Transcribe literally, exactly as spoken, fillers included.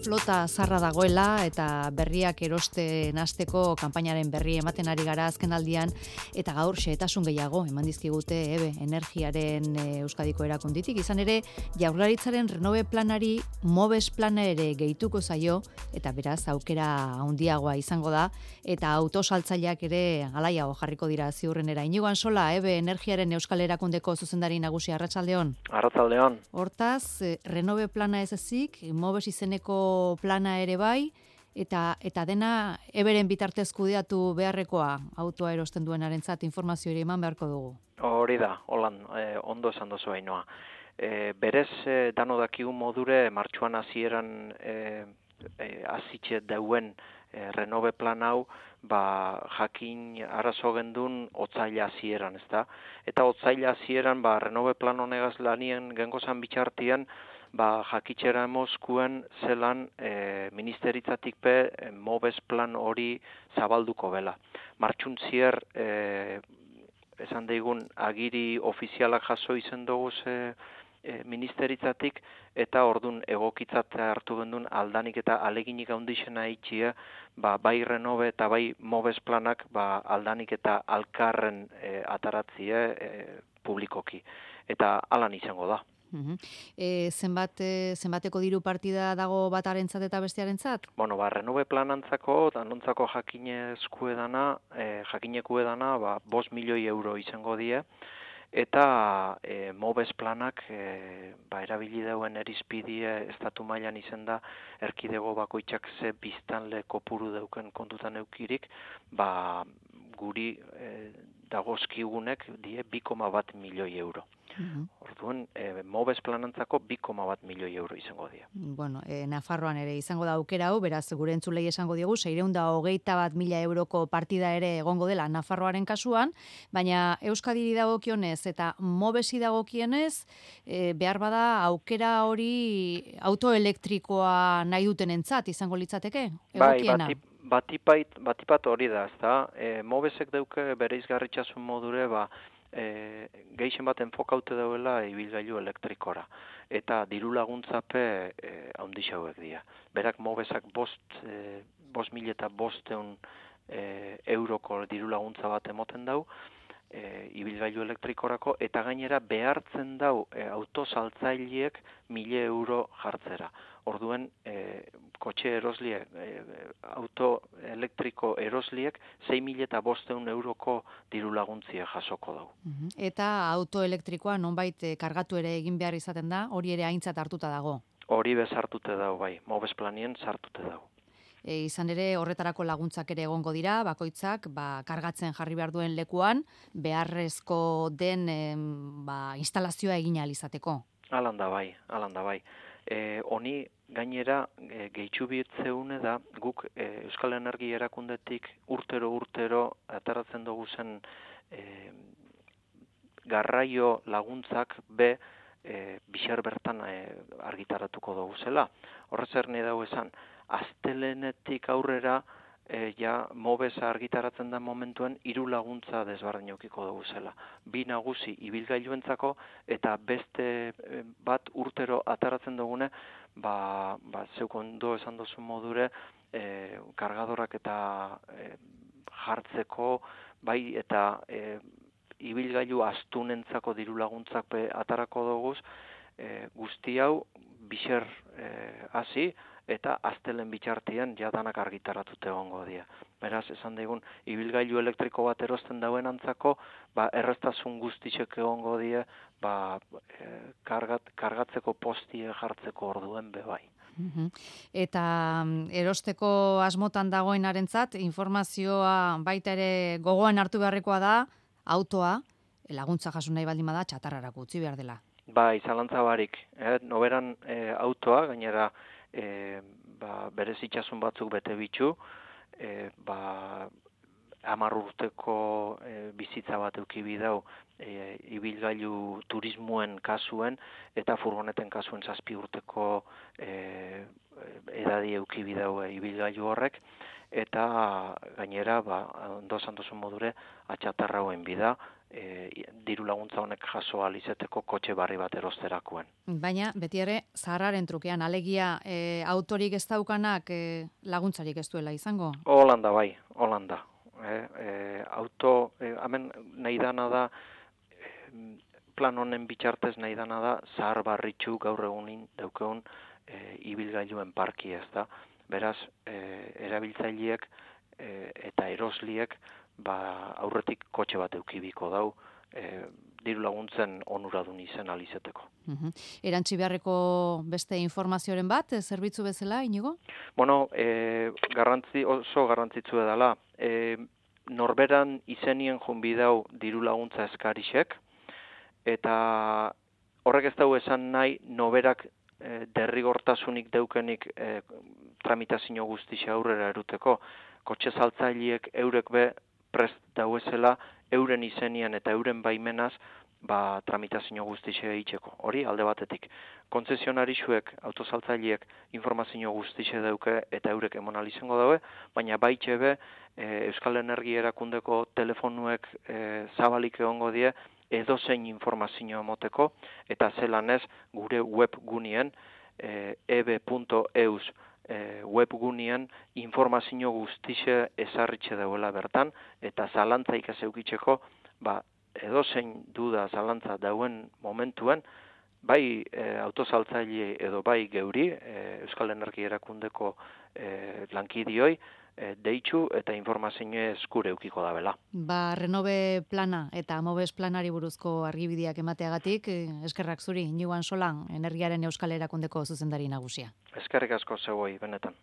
flota zarra dagoela eta berriak erosten hasteko kanpainaren berri ematen ari gara azkenaldian eta gaur xehetasun gehiago eman dizkigute ebe energiaren e, Euskadiko erakunditik. Izan ere, Jaurlaritzaren Renove planari Mobes plana ere gehituko zaio eta beraz aukera handiagoa izango da eta autosaltzaileak ere alaiago jarriko dira ziurrenera. Inigo Ansola, ebe energiaren Euskal Erakundeko zuzendari nagusi, arratsaldeon. Arratsaldeon. Hortaz, eh, Renove plana ez ezik, Mobes izeneko plana ere bai, eta eta dena eberen bitartez kudeatu beharrekoa autoa erosten duenarentzat informazio ere eman beharko dugu. Hori da, holan, eh, ondo esan dozu Ainhoa. E, berez, e, dano dakigun modure, martxuan hasieran e, e, hasitxe dauen e, Renove plan hau, ba, jakin arazo gendun otzaila hasieran, ezta? Eta otzaila hasieran, ba, Renove plan honegaz lanien gengozan bitxartian, ba, jakitxera Moskuen zelan e, ministeritzatik pe e, Mobes plan hori zabalduko bela. Martxun zier, e, esan daigun agiri ofizialak jaso izen dugu ze e, ministeritzatik eta ordun egokitzat hartu gendun aldanik eta aleginik handixena itxia, ba, bai Renove eta bai Mobes planak ba, aldanik eta alkarren e, ataratzie e, publikoki. Eta alan izango da. Uhum. E, zenbat, e, zenbateko diru partida dago batarentzat eta bestearentzat? Bueno, ba, Renove planantzako, danontzako jakinezku edana, e, jakineku edana, ba, bost milioi euro izango die, eta e, Mobes planak e, ba, erabili dauen erizpidie estatu mailan izen da, erkidego bakoitzak ze biztanle kopuru dauken kontutan eukirik, ba, guri e, dagozkigunek die bi koma bat milioi euro. Uhum. Orduan, e, Mobes planantzako bi koma bat milioi euro izango dira. Bueno, e, Nafarroan ere izango da aukera hau, beraz, gure entzulei esango diogu, seiehun eta hogeita bat mila euroko partida ere egongo dela Nafarroaren kasuan, baina Euskadiri dagokionez eta Mobesi dagokienez, e, behar bada aukera hori autoelektrikoa nahi dutenentzat izango litzateke? Egokiena? Bai, batipait, batipat hori da, ezta? E, Mobesek dauke bere izgarritxasun modure, ba, E, gehien bat enfokaute dauela ibilgailu elektrikora. Eta diru laguntzape e, handixa hauek dira. Berak Mobesak bost, e, bost mil eta bosteun e, euroko diru laguntza bat emoten dau, e, ibilgailu elektrikorako, eta gainera behartzen dau e, autosaltzaileek mile euro jartzera. Orduen, e, kotxe erosliek, e, auto elektriko erosliek, sei mila eta bosteun euroko diru laguntzie jasoko dau. Uh-huh. Eta auto elektrikoa nonbait kargatu ere egin behar izaten da, hori ere aintzat hartuta dago? Hori bezartute dau, bai, Mobes planien sartute dau. E, izan ere horretarako laguntzak ere egongo dira, bakoitzak ba, kargatzen jarri behar duen lekuan, beharrezko den em, ba, instalazioa egin ahal izateko. Alan da bai, alan da bai. E, honi gainera e, gehitxu bitzeune da guk e, Euskal Energia erakundetik urtero urtero ataratzen dugu zen e, garraio laguntzak be e, bixar bertan e, argitaratuko dugu zela. Horrez erne dago esan, astelenetik aurrera E, ja, Mobesa argitaratzen da momentuen hiru laguntza desberdin eukiko dugu zela. Bi nagusi ibilgailuentzako eta beste e, bat urtero ataratzen dugune, ba, ba zeuk ondo esan dozu modure, e, kargadorak eta e, jartzeko, bai eta e, ibilgailu astunentzako diru laguntzak be atarako duguz, e, guzti hau bixer hasi, e, eta astelen bitxartian jadanak argitaratute egongo dira. Beraz, esan daigun, ibilgailu elektriko bat erosten dauen antzako, ba, erreztasun guztitzek egongo dira, ba, e, kargat, kargatzeko postie jartzeko orduen bebai. Uhum. Eta erosteko asmotan dagoenarentzat informazioa baita ere gogoan hartu beharrekoa da, autoa, laguntza jaso nahi baldin bada, txatarrarako utzi behar dela. Bai, zalantza barik. Eh, noberan e, autoa, gainera, E, ba, berez itxasun batzuk bete bitxu, e, ba, hamar urteko e, bizitza bat euki bidau e, ibilgailu turismoen kasuen eta furgoneten kasuen zazpi urteko e, edadi euki bidau e, ibilgailu horrek, eta gainera, ba, ondo esan duzun modure, atxatarrauen bida, e, diru laguntza honek jaso ahal izeteko kotxe barri bat erosterakoen. Baina, beti ere, zaharraren trukean, alegia, e, autorik ez daukanak e, laguntzarik ez duela izango? Holanda bai, Holanda. E, e, auto, e, hemen nahi dana da, e, plan honen bitxartez nahi dana da, zahar barritxu gaur egunin daukeun e, ibilgailuen parki ez da. Beraz, e, erabiltzaileek e, eta erosliek ba, aurretik kotxe bat eukibiko dau, e, diru laguntzen onuradun izen alizeteko. Uhum. Erantzi beharreko beste informazioaren bat, e, zerbitzu bezala, Inigo? Bueno, e, garrantzi, oso garrantzitsu edala. E, norberan izenien junbidau diru laguntza eskarixek, eta horrek ez dugu esan nahi noberak e, derrigortasunik deukenik e, tramitazio guztixe aurrera eruteko. Kotxe saltzaileek eurek be prest dauezela euren izenien eta euren baimenaz ba, tramitazio guztixe egiteko. Hori alde batetik. Kontzesionarixuek, autosaltzaileek informazio guztixe dauke eta eurek emonal izango daue, baina baitxe be e, Euskal Energia Erakundeko telefonuek e, zabalik egongo die edozein informazio emoteko, eta zelan ez gure webgunien e, ebe punto eus e, webgunien informazio guztixe ezarritxe dauela bertan, eta zalantzaik ez eukitzeko, ba, edozein duda zalantza dauen momentuen, bai e, autosaltzaile edo bai geuri, e, Euskal Energia Erakundeko e, lankidioi, e, deitzu eta informazio eskure eukiko da bela. Ba, Renove plana eta Amobes planari buruzko argibideak emateagatik, eskerrak zuri, Inigo Ansolan, Energiaren Euskal Erakundeko zuzendari nagusia. Eskerrik asko zeuoi, benetan.